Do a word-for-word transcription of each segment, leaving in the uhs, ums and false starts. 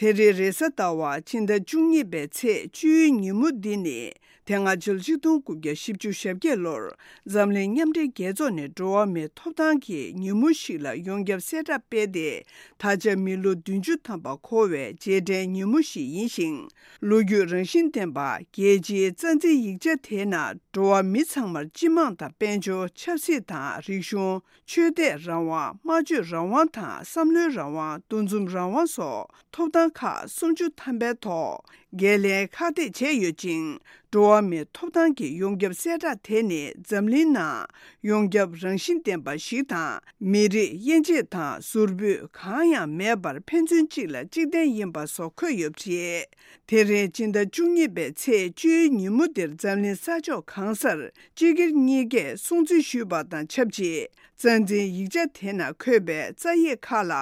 དེ་རིང་རེས་གཟའ་ཟླ་བ་ཕྱི་ཟླ་བཅུ་གཉིས་པའི་ཚེས་བཅུའི་ཉིན་མོ་འདི་ནི། དེ་སྔ་ཕྱི་ལོ་ཆིག་སྟོང་དགུ་བརྒྱ་བཞི་བཅུ་ཞེ་བརྒྱད་ལོར་འཛམ་གླིང་མཉམ་འབྲེལ་རྒྱལ་ཚོགས་ནས་འགྲོ་བ་མིའི་ཐོབ་ཐང་གི་ཉིན་མོ་ཞིག་ལ་ཡོངས་ཁྱབ་གསལ་བསྒྲགས་སྤེལ་ཏེ། ད་ཆ་མི་ལོ་བདུན་ཅུ་ཐམ་པ་འཁོར་བའི་རྗེས་དྲན་ཉིན་མོ་ཞིག་ཡིན་ཞིང་། ལོ་རྒྱུས་རང་བཞིན་ལྡན་པ་རྒྱལ་སྤྱིའི་རྩ་འཛིན་ཡིག་ཆ་དེའི་ནང་འགྲོ་བ་མི་ཚང་མར་སྤྱི་དམངས་དང་དཔལ་འབྱོར། ཆབ་སྲིད་དང་རིག་གཞུང་། ཆོས་དད་རང་དབང་། སྨྲ་བརྗོད་རང་དབང་དང་བསམ་བློའི་རང་དབང་། འདུ་འཛོམས་རང་དབང་སོགས་ཐོབ་ཐང་ཁག་སུམ་ཅུ་ཐམ་པའི་ཐོག་འགན་ལེན་ཁག་ཐེག་བྱས་ཡོད་ཅིང་། འགྲོ་བ་མིའི་ཐོབ་ཐང་གི་ཡོངས་ཁྱབ་གསལ་བསྒྲགས་དེ་ནི་འཛམ་གླིང་ནང་ཡོངས་ཁྱབ་རང་བཞིན་ལྡན་པ་ཞིག་དང་། མི་རིགས་དབྱེ་འབྱེད་དང་ཟུར་ཕུད་གང་ཡང་མེད་པར་ཕན་ཚུན་གཅིག་ལ་གཅིག་བརྟེན་ཡིན་པ་སོགས་འཁོད་ཡོད་པ་རེད། དེ་རིང་སྤྱི་ཟླ་བཅུ་གཉིས་པའི་ཚེས་བཅུའི་ཉིན་མོ་འདིར་འཛམ་གླིང་ས་ཕྱོགས་གང་སར་སྤྱི་སྒེར་གཉིས་ཀས་སྲུང་བརྩི་ཞུས་པ་དང་ཆབས་ཅིག་རྩ་འཛིན་ཡིག་ཆ་དེ་ནང་འཁོད་པའི་རྩ་ཡིག་ཁག་ལ་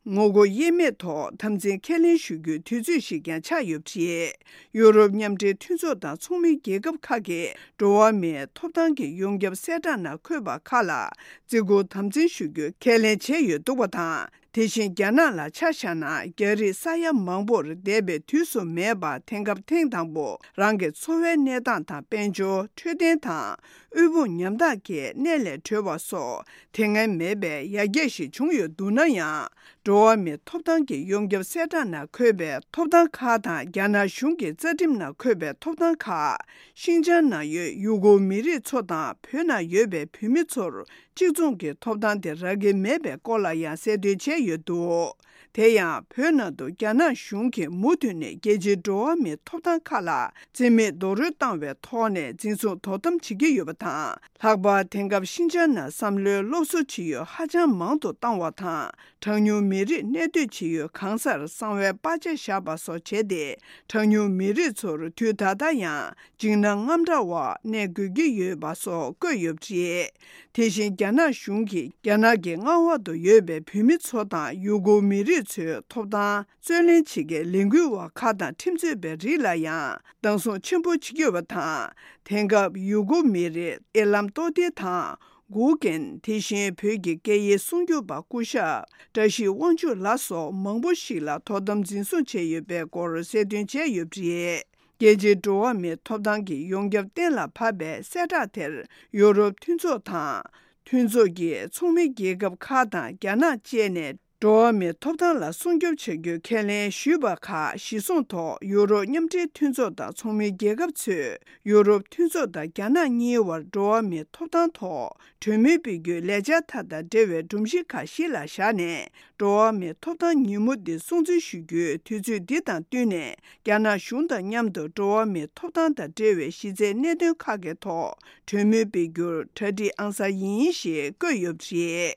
ངོ་རྒོལ་དབྱེར་མེད་ཐོག་དམ་འཛིན་ཁས་ལེན་ཞུ་རྒྱུའི་དུས་ཚོད་ཞིག་ཀྱང་ཆགས་ཡོད་པ་རེད། ཡུ་རོབ་མཉམ་འབྲེལ་མཐུན་ཚོགས་དང་ཚོགས་མི་རྒྱལ་ཁབ་ཁག་གིས་འགྲོ་བ་མིའི་ཐོབ་ཐང་གི་ཡོངས་ཁྱབ་གསལ་བསྒྲགས་ནང་འཁོད་པ་ཁག་ལ་བརྩི་བཀུར་དམ་འཛིན་ཞུ་རྒྱུ་ཁས་ལེན་བྱས་ཡོད་འདུག་པ་དང་། དེ་བཞིན་རྒྱ་ནག་ལ་ཆ་བཞག་ན། རྒྱ་རིགས་ས་ཡ་མང་པོར་འདས་པའི་དུས་སུ་མེད་པར་དེང་སྐབས་ཐེངས་དང་པོ་རང་གི་འཚོ་བའི་གནས་སྟངས་དང་། དཔལ་འབྱོར། འཕྲོད་བསྟེན་དང་། དབུལ་ཕོངས་ཉམ་ཐག་གི་གནས་ལས་གྲོལ་བ་སོགས་དེ་སྔ་མེད་པའི་ཡར་རྒྱས་ཤིག་བྱུང་ཡོད་འདུག་ན་ཡང་། འགྲོ་བ་མིའི་ཐོབ་ཐང་གི་ཡོངས་ཁྱབ་གསལ་བསྒྲགས་ནང་འཁོད་པའི་ཐོབ་ཐང་ཁག་དང་། རྒྱ་ནག་གཞུང་གི་རྩ་ཁྲིམས་ནང་འཁོད་པའི་ཐོབ་ཐང་ཁག་ཤིན་ཅང་ནང་ཡོད་ཡུ་གུར་མི་རིགས་ཚོ་དང་། བོད་ནང་ཡོད་པའི་བོད་མི་ཚོར་གཅིག་མཚུངས་ཀྱི་ཐོབ་ཐང་དེ་རག་གི་མེད་པའི་སྐོར་ལ་ཡང་གསལ་སྟོན་བྱས་ཡོད་འདུག་དེ་ཡང་བོད་ནང་དུ་རྒྱ་ནག་གཞུང་གིས་མུ་མཐུད་ནས་རྒྱལ་སྤྱིའི་འགྲོ་བ་མིའི་ཐོབ་ཐང་ཁག་ལ་བརྩི་མེད་རྡོག་རོལ་བཏང་བའི་ཐོག་ནས་འཛིན་བཟུང་དོ་དམ་བྱེད་ཀྱི་ཡོད་པ་དང་། ལྷག་པར་དེང་སྐབས་ཤིན་ཅང་ནང་བསམ་བློའི་སློབ་གསོ་བྱེད་ཡུལ་ཧ་ཅང་མང་དུ་བཏང་བ་དང་། གྲངས་ཉུང་མི་རིགས་གནས་སྡོད་བྱེད་ཡུལ་གང་སར་གསང་བའི་པར་ཆས་བཞག་པ་སོགས་བྱས་ཏེ། གྲངས་ཉུང་མི་རིགས་ཚོར་དུས་ད་ལྟ་ཡང་འཇིགས་སྣང་དངངས་སྐྲག་འོག་གནས་དགོས་ཀྱི་ཡོད་པ་སོགས་བཀོད་ཡོད་པ་རེད། དེ་བཞིན་རྒྱ་ནག་གཞུང་གིས་རྒྱ་ནག་གི་མངའ་འོག་ཏུ་ཡོད་པའི་བོད་མི་ཚོ་དང་ཡུ་གུར་མི་རིགས་ཚོའི་ཐོབ་ཐང་རྩོད་ལེན་བྱེད་མཁན་ལས་འགུལ་བ་ཁག་དང་ཁྲིམས་རྩོད་པའི་རིགས་ལ་ཡང་སྡང་ཟུག་ཆེན་པོ་བྱེད་ཀྱི་ཡོད་པ་དང་། དེང་སྐབས་ཡུ་གུར་མི་རིགས་ཨེ་ལམ་ཏོ་ཏེ་དང་། གུ་ཀེན། དེ་བཞིན་བོད་ཀྱི་སྐད་ཡིག་སྲུང་སྐྱོབ་པ་སྐུ་ཞབས་བཀྲ་ཤིས་དབང་ཕྱུག་ལགས་སོགས་མང་པོ་ཞིག་ལ་དོ་དམ་འཛིན་བཟུང་བྱས་ཡོད་པའི་སྐོར་གསལ་སྟོན་བྱས་ཡོད་པ་རེད། རྒྱལ་སྤྱིའི་འགྲོ་བ་མིའི་ཐོབ་ཐང་གི་ཡོངས་ཁྱབ་གཏན་ལ་ཕབ་པའི་གསལ་བསྒྲགས་དེར་ཡུ་རོབ་མཐུན་ཚོགས་དང་། མཐུན་ཚོགས་ཀྱི་ཚོགས་མི་རྒྱལ་ཁབ་ཁག་དང་རྒྱ་ནག་བཅས་ནས། འགྲོ་བ་མིའི་ཐོབ་ཐང་ལ་སྲུང་སྐྱོབ་བྱ་རྒྱུའི་ཁས་ལེན་ཞུས་པ་ཁག་གཞིར་བཟུང་ཐོག་ཡུ་རོབ་མཉམ་འབྲེལ་མཐུན་ཚོགས་དང་ཚོགས་མི་རྒྱལ་ཁབ་ཚོས་ཡུ་རོབ་མཐུན་ཚོགས་དང་རྒྱ་ནག་གཉིས་བར་འགྲོ་བ་མིའི་ཐོབ་ཐང་ཐོག་གྲོས་མོལ་སྤེལ་རྒྱུའི་ལས་འཆར་དག་དང་འབྲེལ་བའི་སྒྲོམ་གཞི་ཁག་གཞི་ལ་བཞག་ནས། འགྲོ་བ་མིའི་ཐོབ་ཐང་ཉིན་མོ་འདི་སྲུང་བརྩི་ཞུ་རྒྱུའི་དུས་ཚོད་འདི་དང་བསྟུན་ནས། རྒྱ་ནག་གཞུང་དང་མཉམ་དུ་འགྲོ་བ་མིའི་ཐོབ་ཐང་དང་འབྲེལ་བའི་གཞི་རྩའི་གནད་དོན་ཁག་གི་ཐོག་གྲོས་མོལ་སྤེལ་རྒྱུར་གྲ་སྒྲིག་ཨང་གསར་ཡིན་ཞེས་བཀོད་ཡོད་པ་རེད།